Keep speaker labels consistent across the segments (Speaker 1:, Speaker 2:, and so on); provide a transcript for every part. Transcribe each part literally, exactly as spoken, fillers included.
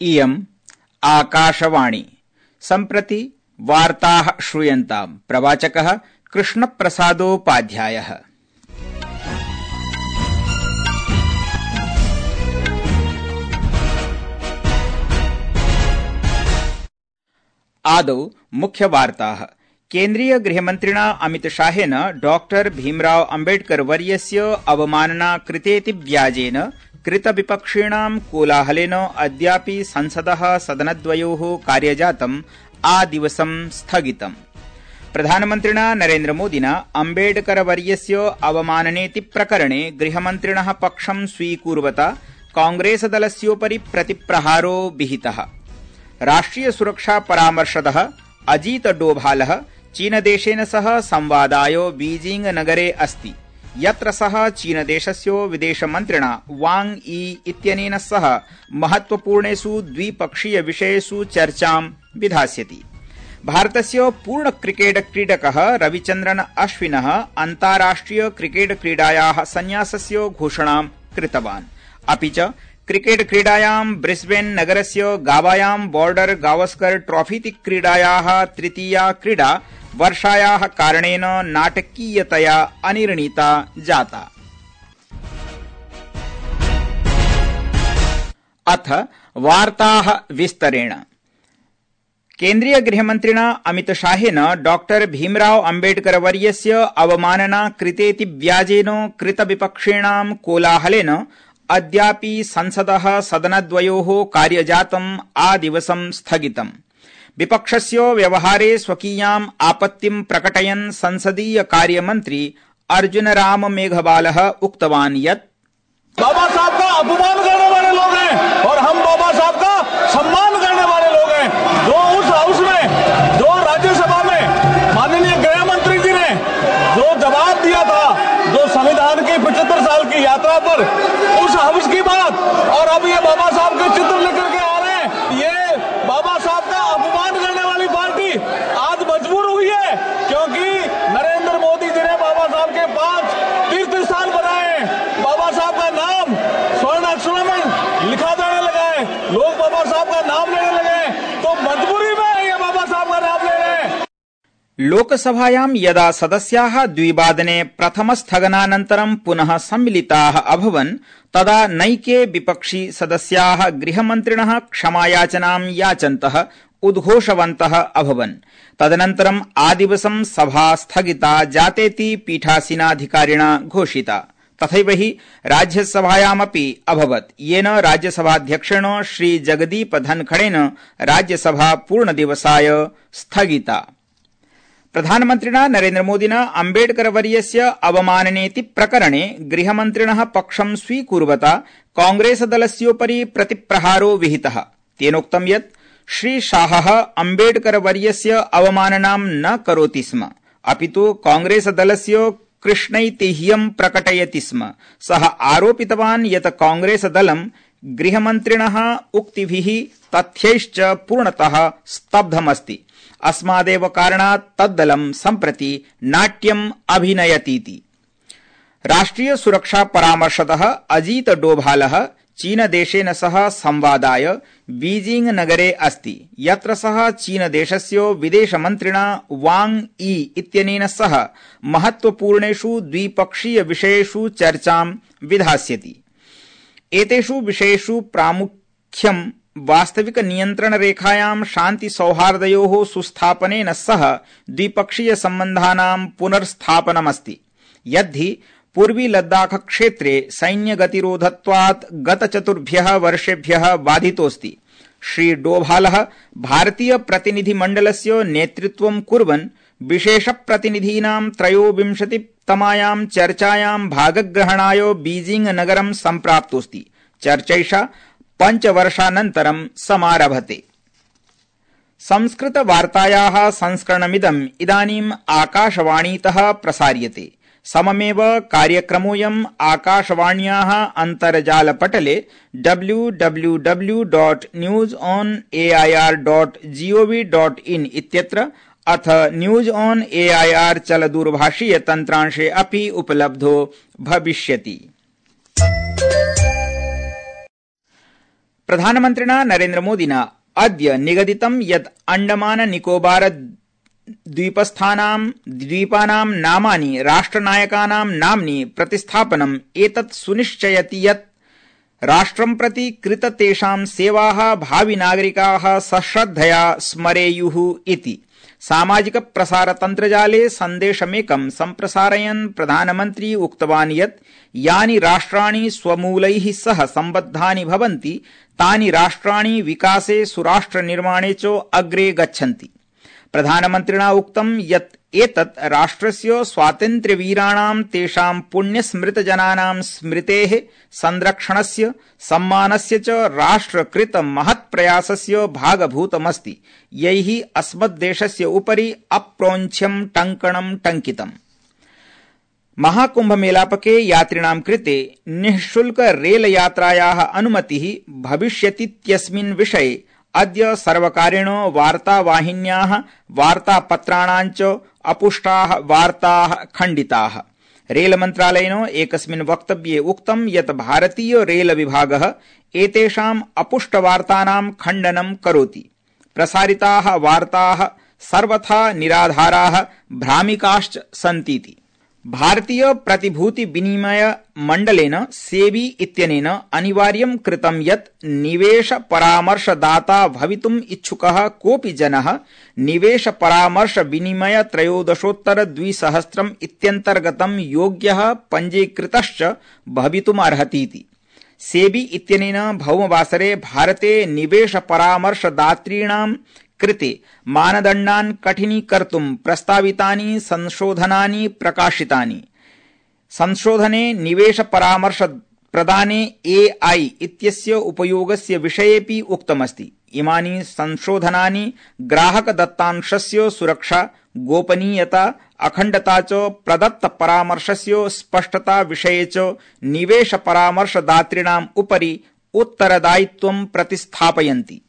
Speaker 1: इयम् आकाशवाणी। सम्प्रति वार्ताः श्रूयन्ताम्। प्रवाचकः कृष्णप्रसादोपाध्यायः। आदौ मुख्यवार्ताः। केन्द्रीय गृहमन्त्रिणा अमितशाहेन डॉक्टर भीमराव अम्बेडकर वर्यस्य अवमानना कृतेति व्याजेन कृतविपक्षीणां कोलाहलेन अद्यापि संसदः सदनद्वयोः कार्यजातम् आदिवसं स्थगितम्। प्रधानमन्त्रिणा नरेन्द्रमोदिना अम्बेडकर वर्यस्य अवमाननेति प्रकरणे गृहमन्त्रिणः पक्षं स्वीकुर्वता कांग्रेसदलस्योपरि प्रतिप्रहारो विहितः। राष्ट्रिय सुरक्षा परामर्शदः अजीत डोभालः चीनदेशेन सह संवादाय बीजिंग नगरे अस्ति, यत्र सः चीनदेशस्य विदेशमन्त्रिणा वांग यी इत्यनेन सह महत्वपूर्णेषु द्विपक्षीय विषयेषु चर्चां विधास्यति। भारतस्य पूर्ण क्रिकेट क्रीडकः रविचन्द्रन अश्विनः अन्ताराष्ट्रिय क्रिकेट क्रीडायाः संन्यासस्य घोषणां कृतवान्। अपि च क्रिकेट क्रीडायां ब्रिस्बेन नगरस्य गावायां बॉर्डर गावस्कर ट्रॉफीति क्रीडायाः तृतीया क्रीडा वर्षायाः कारणेन नाटकीयतया अनिर्णीता जाता। अथ वार्ताः विस्तरेण। केन्द्रीय गृहमन्त्रिणा अमितशाहेन डॉक्टर भीमराव अम्बेडकर वर्यस्य अवमानना कृतेति व्याजेन कृतविपक्षीणां कोलाहलेन अद्यापि संसदः सदनद्वयोः कार्यजातम् आदिवसं स्थगितम्। विपक्षस्य व्यवहारे स्वकीयाम् आपत्तिं प्रकटयन् संसदीय कार्यमन्त्री अर्जुनराम मेघवालः उक्तवान् यत्
Speaker 2: बाबा साहब का अपमान करने वाले लोग हैं और हम बाबा साहब का सम्मान करने वाले लोग हैं। जो उस हाउस में, जो राज्यसभा में माननीय गृह मंत्री जी ने जो जवाब दिया था, जो संविधान की पचहत्तर साल की यात्रा पर उस हाउस की बात, और अब ये बाबा साहब के चित्र लेकर के आ रहे हैं। ये बाबा साहब का अपमान करने वाली पार्टी आज मजबूर हुई है, क्योंकि नरेंद्र मोदी जी ने बाबा साहब के पांच तीर्थ स्थान बनाए हैं। बाबा साहब का नाम स्वर्ण अक्षरों में लिखा जाने लगा है, लोग बाबा साहब का नाम लेने लगे हैं, तो मजबूरी में ये बाबा साहब का नाम ले रहे हैं।
Speaker 1: लोकसभायां यदा सदस्याः द्विवादने प्रथमस्थगनानन्तरं पुनः सम्मिलिताः अभवन् तदा नैके विपक्षी सदस्याः गृहमन्त्रिणः क्षमायाचनां याचन्तः उद्घोषवन्तः अभवन्। तदनन्तरम् आदिवसं सभा स्थगिता जातेति पीठासीनाधिकारिणा घोषिता। तथैव हि राज्यसभायामपि अभवत्, येन राज्यसभाध्यक्षेण श्री जगदीप धनखड़ेन राज्यसभा पूर्णदिवसाय स्थगिता। प्रधानमन्त्रिणा नरेन्द्रमोदिना अम्बेडकर वर्यस्य अवमाननेति प्रकरणे गृहमन्त्रिणः पक्षं स्वीकुर्वता कांग्रेसदलस्योपरि प्रतिप्रहारो विहितः। तेनोक्तं यत् श्रीशाहः अम्बेडकर वर्यस्य अवमाननां न करोति स्म, अपितु कांग्रेसदलस्य कृष्णैतिह्यं प्रकटयति स्म। सः आरोपितवान् यत् कांग्रेसदलं गृहमन्त्रिणः उक्तिभिः तथ्यैश्च पूर्णतः स्तब्धमस्ति। अस्मादेव कारणात् तद्दलं सम्प्रति नाट्यम् अभिनयतीति। राष्ट्रिय सुरक्षा परामर्शदः अजीत डोभालः चीनदेशेन सह संवादाय बीजिंग नगरे अस्ति, यत्र सः चीनदेशस्य विदेशमन्त्रिणा वांग यी इत्यनेन सह महत्वपूर्णेषु द्विपक्षीय विषयेषु चर्चां विधास्यति। एतेषु विषयेषु प्रामुख्यं वास्तविक नियन्त्रण रेखायां शान्ति सौहार्दयोः सुस्थापनेन सह द्विपक्षीय सम्बन्धानां पुनर्स्थापनमस्ति। यद्धि पूर्वी लद्दाख क्षेत्रे सैन्यगतिरोधत्वात् गतचतुर्भ्यः वर्षेभ्यः बाधितोऽस्ति। श्री डोभालः भारतीय प्रतिनिधिमण्डलस्य नेतृत्वं कुर्वन् विशेषप्रतिनिधीनां त्रयोविंशतितमायां चर्चायां भागग्रहणाय बीजिंग नगरं सम्प्राप्तोऽस्ति। चर्चैषा पञ्चवर्षानन्तरं समारभते। संस्कृतवार्तायाः संस्करणमिदम् इदानीम् आकाशवाणीतः प्रसार्यते। सममेव कार्यक्रमोऽयम् आकाशवाण्याः अन्तर्जालपटले W W W dot news on A I R dot G O V dot in इत्यत्र अथ news on A I R चलदूरभाषीय तन्त्रांशे अपि उपलब्धो भविष्यति। प्रधानमन्त्रिणा नरेन्द्रमोदिना अद्य निगदितं यत् अण्डमान निकोबार द्वीपस्थानां द्वीपानां नामानि राष्ट्रनायकानां नाम्नि प्रतिस्थापनम् एतत् सुनिश्चयति यत् राष्ट्रं प्रति कृत तेषां सेवाः भावि नागरिकाः सश्रद्धया स्मरेयुः इति सामाजिक प्रसार तन्त्रजाले सन्देशमेकं सम्प्रसारयन् प्रधानमन्त्री उक्तवान् यत् यानि राष्ट्राणि स्वमूलैः सह सम्बद्धानि भवन्ति तानि राष्ट्राणि विकासे सुराष्ट्रनिर्माणे च अग्रे गच्छन्ति। प्रधानमन्त्रिणा उक्तं यत् एतत् राष्ट्रस्य स्वातन्त्र्यवीराणां तेषां पुण्यस्मृतजनानां स्मृतेः संरक्षणस्य सम्मानस्य च राष्ट्रकृत महत्प्रयासस्य भागभूतमस्ति यैः अस्मद्देशस्य उपरि अप्रौञ्छ्यं टङ्कणं टङ्कितम्। महाकुम्भमेलापके यात्रिणां कृते निःशुल्क रेलयात्रायाः अनुमतिः भविष्यतीत्यस्मिन् विषये अद्य सर्वकारेण वार्तावाहिन्याः वार्तापत्राणां च अपुष्टाः वार्ताः खण्डिताः। रेलमन्त्रालयेन एकस्मिन् वक्तव्ये उक्तं यत् भारतीय रेलविभागः एतेषाम् अपुष्टवार्तानां खण्डनं करोति। प्रसारिताः वार्ताः सर्वथा निराधाराः भ्रामिकाश्च सन्तीति। भारतीय प्रतिभूति विनिमय मण्डलेन सेबी इत्यनेन अनिवार्यं कृतं यत् निवेश परामर्शदाता भवितुम् इच्छुकः कोऽपि जनः निवेश परामर्श विनिमय त्रयोदशोत्तर द्विसहस्रम् इत्यन्तर्गतं योग्यः पञ्जीकृतश्च भवितुमर्हतीति। सेबी इत्यनेन भौमवासरे भारते निवेश परामर्शदातॄणां कृते मानदण्डान् कठिनीकर्तुं प्रस्तावितानि संशोधनानि प्रकाशितानि। संशोधने निवेश परामर्श प्रदाने एआई इत्यस्य उपयोगस्य विषयेपि उक्तमस्ति। इमानि संशोधनानि ग्राहक दत्तांशस्य सुरक्षा, गोपनीयता, अखण्डता च प्रदत्त परामर्शस्य स्पष्टता विषये च निवेश परामर्शदातॄणाम् उपरि उत्तरदायित्वं प्रतिस्थापयन्ति।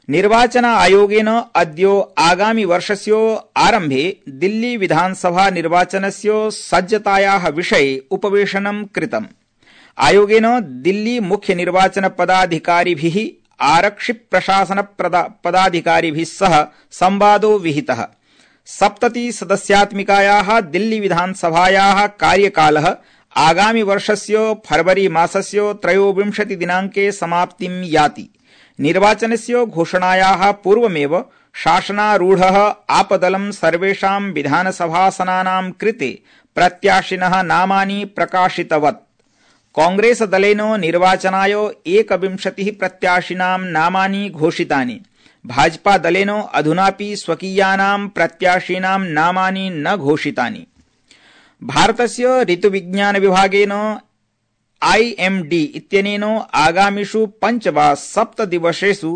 Speaker 1: निर्वाचन आयोगेन अद्य आगामि वर्षस्य आरम्भे दिल्ली विधानसभा निर्वाचनस्य सज्जतायाः विषये उपवेशनं कृतम्। आयोगेन दिल्ली मुख्य निर्वाचन पदाधिकारिभिः आरक्षि प्रशासन पदाधिकारिभिः सह संवादो विहितः। सप्तति सदस्यात्मिकायाः दिल्ली विधानसभायाः कार्यकालः आगामि वर्षस्य फरवरी मासस्य त्रयोविंशति दिनाङ्के समाप्तिं याति। निर्वाचनस्य घोषणायाः पूर्वमेव शासनारूढः आपदलं सर्वेषां विधानसभासनानां कृते प्रत्याशिनः नामानि प्रकाशितवत्। कांग्रेसदलेन निर्वाचनाय एकविंशतिः प्रत्याशिनां नामानि घोषितानि। भाजपादलेन अधुनापि स्वकीयानां प्रत्याशिनां नामानि न घोषितानि। भारतस्य ऋतुविज्ञान विभागेन आईएमडी इत्यनेन आगामिषु पंच वा सप्त दिवसेषु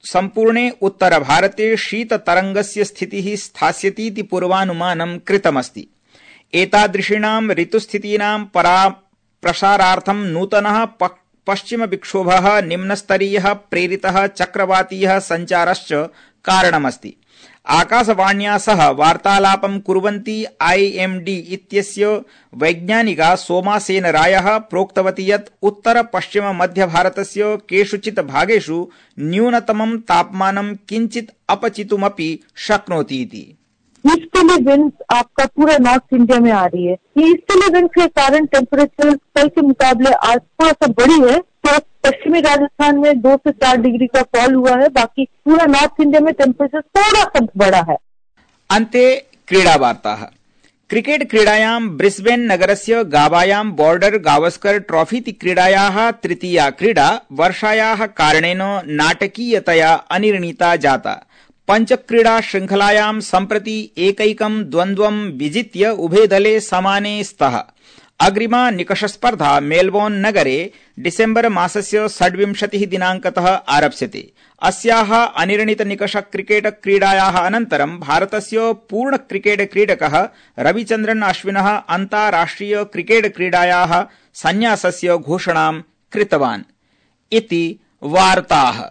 Speaker 1: सम्पूर्णे उत्तरभारते शीततरंगस्य स्थितिः स्थास्यतीति पूर्वानुमानं कृतमस्ति। एतादृशीनां ऋतुस्थितीनां प्रसारार्थं नूतनः पश्चिमविक्षोभः निम्नस्तरीयः प्रेरितः चक्रवातीयः सञ्चारश्च कारणमस्ति। आकाशवाण्या सह वार्तालापं कुर्वन्ती आईएमडी इत्यस्य वैज्ञानिका सोमासेन रायः प्रोक्तवती यत् उत्तर पश्चिम मध्य भारतस्य केषुचित् भागेषु न्यूनतमं तापमानं किञ्चित् अपचितुमपि शक्नोति इति।
Speaker 3: ईस्टर्ली विंड्स आपका पूरा नॉर्थ इंडिया में आ रही है। ये ईस्टर्ली विंड्स के कारण टेम्परेचर कल के मुकाबले आज थोड़ा सा बढ़ी है। तो पश्चिमी राजस्थान में दो से चार डिग्री का फॉल हुआ है। बाकी पूरा नॉर्थ इंडिया में टेम्परेचर थोड़ा सा बढ़ा है।
Speaker 1: अन्ते क्रीडावार्ताः। क्रिकेट क्रीडायां ब्रिस्बेन नगरस्य गावायां बॉर्डर गावस्कर ट्रॉफीति क्रीडायाः तृतीया क्रीडा वर्षायाः कारणेन नाटकीयतया अनिर्णीता जाता। पंचक्रीडा श्रृंखलायां सम्प्रति एकैकं द्वन्द्वं विजित्य उभे दले समाने स्तः। अग्रिमा निकषस्पर्धा मेलबोर्न नगरे डिसेम्बर मासस्य षड्विंशतिः दिनाङ्कतः आरप्स्यते। अस्याः अनिर्णीत निकष क्रिकेट क्रीडायाः अनन्तरं भारतस्य पूर्ण क्रिकेट क्रीडकः रविचन्द्रन अश्विनः अन्ताराष्ट्रिय क्रिकेट क्रीडायाः संन्यासस्य घोषणां कृतवान् इति वार्ताः।